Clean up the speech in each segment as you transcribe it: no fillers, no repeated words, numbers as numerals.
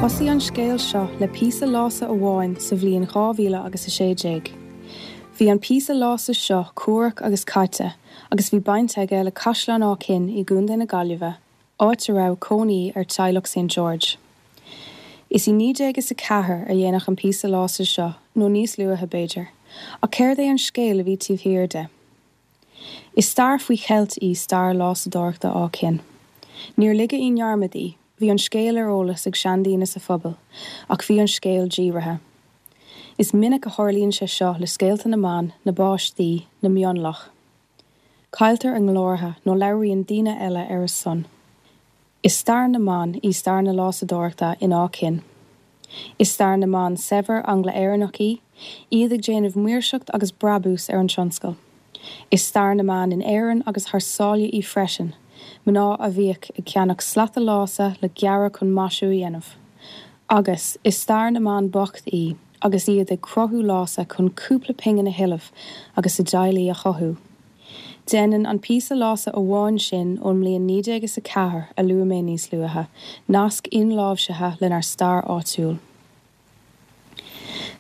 Thosaigh an scéal seo le píosa lása amháin sa bhliain 2000 agus 16. Bhí an píosa lása seo cuarach agus caite agus bhí baint aige le Caisleán Áth Cinn i gContae na Gaillimhe, áit a raibh cónaí ar teaghlach St George. Is i 1904 a déanadh an píosa lása seo, nó níos luaithe b'fhéidir, ach céard é an scéal a bhí taobh thiar de? Is stair faoi cheilt í stair lásadóireachta Áth Cinn. Níor ligeadh i ndearmad í, bhí an scéal ar eolas ag seandaoine sa phobal, ach bhí an scéal díbrithe. Is minic a tharlaíonn sé seo le scéalta na mban, na bpáistí, na mionlach. Cailltear a nglórtha nó labhraíonn daoine eile ar a son. Is stair na mban í stair na lásadóireachta in Áth Cinn. Is stair na mban saibhir Angla-Éireannach í, iad ag déanamh maoirseacht agus brabús ar an tionscal. Is stair na mban in Éirinn agus thar sáile í freisin, mná a bhíodh ag ceannach slata lása le gearradh chun maisiú a dhéanamh. Agus, is stair na mban bocht í, agus iad ag cruthú lása chun cúpla pingin a thuilleamh agus a dteaghlaigh a chothú. Déanann an píosa lása amháin sin ón mbliain 1904 a luaigh mé níos luaithe, nasc inláimhsithe lenár stair áitiúil.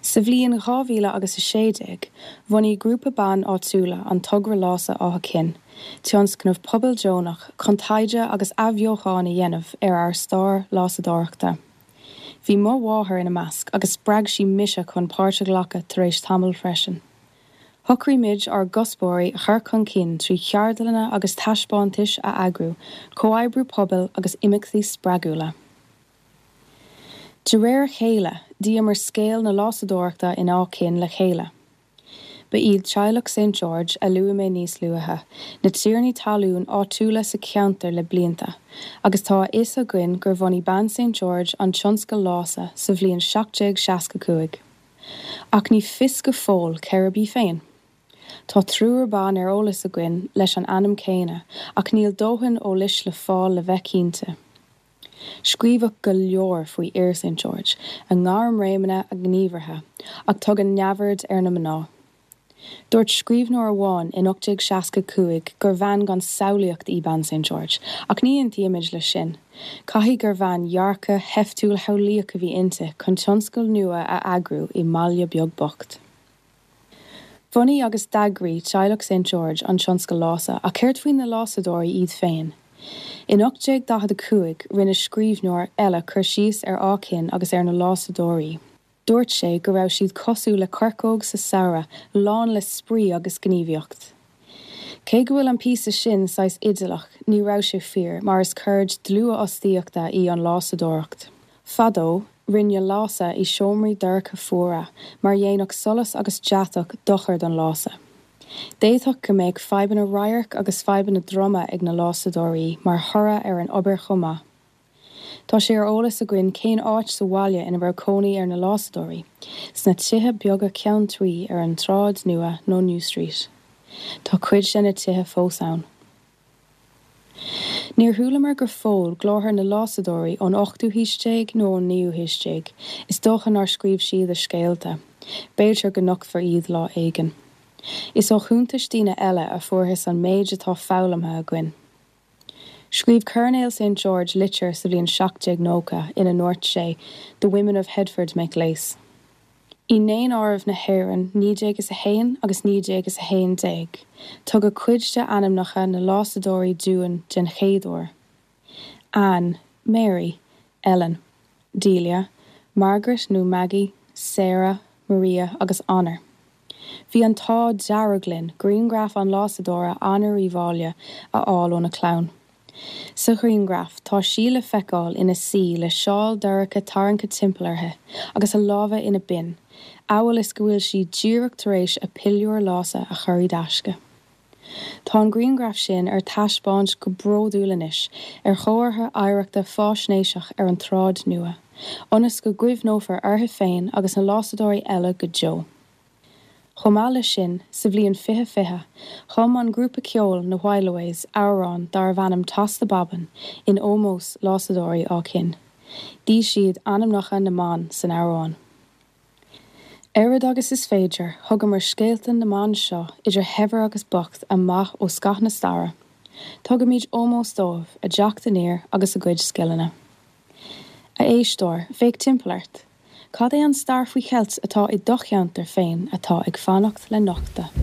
Sa bhliain 2000 agus 16, bhunaigh grúpa ban áitiúla an Togra Lása Átha Cinn, tionscnamh pobail deonach chun taighde agus athbheochan a dhéanamh ar ár stair lásadóireachta. Bhí mo mháthair ina measc agus spreag sí mise chun páirt a ghlacadh tar éis tamaill freisin. Shocraigh muid ár gcuspóirí a chur chun cinn trí cheardlanna agus taispeántais a eagrú, comhoibriú pobail agus imeachtaí spreagúla. De réir a chéile, d'fhíomar scéal na lásadóireachta in Áth Cinn le chéile. Ba iad teaghlach St George, a luaigh mé níos luaithe, na tiarnaí talún áitiúla sa cheantar le blianta, agus tá a fhios againn gur bhunaigh bean St George an tionscal lása sa bhliain 1765. Ach ní fios go fóill cérb í féin. Tá triúr ban ar eolas againn leis an ainm céanna, ach níl dóthain eolais le fáil le bheith cinnte. Scríobhadh go leor faoi fhir St George, a ngairmréimeanna, a ngníomhartha, ach tugadh neamhaird ar na mná. Dúirt scríbhneoir amháin in 1865 gur bhean gan samhlaíocht í bean St George, ach ní aontaímid leis sin. Caithfidh gur bhean dhearcadh sheiftiúil shamhlaíoch a bhí inti chun tionscal nua a eagrú i mbaile beag bocht. Bhunaigh agus d'eagraigh teaghlach St George an tionscal lása, ach céard faoi na lásadóirí iad féin? In 1845 rinne scríbhneoir eile cur síos ar Áth Cinn agus ar na lásadóirí. Dúirt sé go raibh siad cosúil le coirceog sa samhradh, lán le spraoi agus gníomhaíocht. Cé go bhfuil an píosa sin saghas idéalach, ní raibh sé fíor, mar is ceird dlúthfhostaíochta í an lásadóireacht. Fadó, rinneadh lása i seomraí dorcha fuara mar dhéanfadh solas agus deatach dochar don lása. D'fhéadfadh go mbeadh fadhbanna radhairc agus fadhbanna droma ag na lásadóirí mar thoradh ar an obair chomh maith. Tá sé ar eolas againn cén áit sa bhaile ina raibh cónaí ar na lásadóirí, sna tithe beaga ceann tuí ar an tSráid Nua nó New Street. Tá cuid de na tithe fós ann. Níor chualamar go fóill glórtha na lásadóirí ón ochtú haois déag nó ón naoú haois déag, is dócha nár scríobh siad a scéalta. B'fhéidir go nochtfar iad lá éigin. Is ó chuntais daoine eile a fuarthas an méid atá foghlamtha againn. Scríobh Coirnéal St George litir sa bhliain 1790 ina ndúirt sé 'The women of Headford make lace'. I nDaonáireamh na hÉireann 1901 agus 1911, tugadh cuid de ainmneacha na lásadóirí dúinn den chéad uair, Anne, Mary, Ellen, Delia, Margaret nó Maggie, Sarah, Maria agus Honor. Bhí an t-ádh dearg linn grianghraf an lásadóra Honor Uí Mháille a fháil óna clann. Sa ghrianghraf, tá sí le feiceáil ina suí le seál dorcha tarraingthe timpeall uirthi agus a lámha ina binn, amhail is go bhfuil sí díreach tar éis a piliúr lása a chur i dtaisce. Tá an grianghraf sin ar taispeáint go bródúil anois ar chomhartha oidhreachta fáisnéiseach ar an tSráid Nua, ionas go gcuimhneofar uirthi féin agus na lásadóirí eile go deo. Chomh maith leis sin, sa bhliain 2020, chum an grúpa ceoil na Whileaways amhrán darbh ainm Toss the Bobbin in ómós lásadóirí Áth Cinn. D'fhí siad ainmneacha na mban san amhrán. Oiread agus is féidir, thugamar scéalta na mban seo, idir shaibhir agus bocht, amach ó scath na staire. Tugaimid ómós dóibh, a dteacht aniar agus a gcuid scileanna. A éisteoir, féach timpeall ort. Cad é an stair faoi cheilt atá i do cheantar féin atá ag fanacht le nochtadh?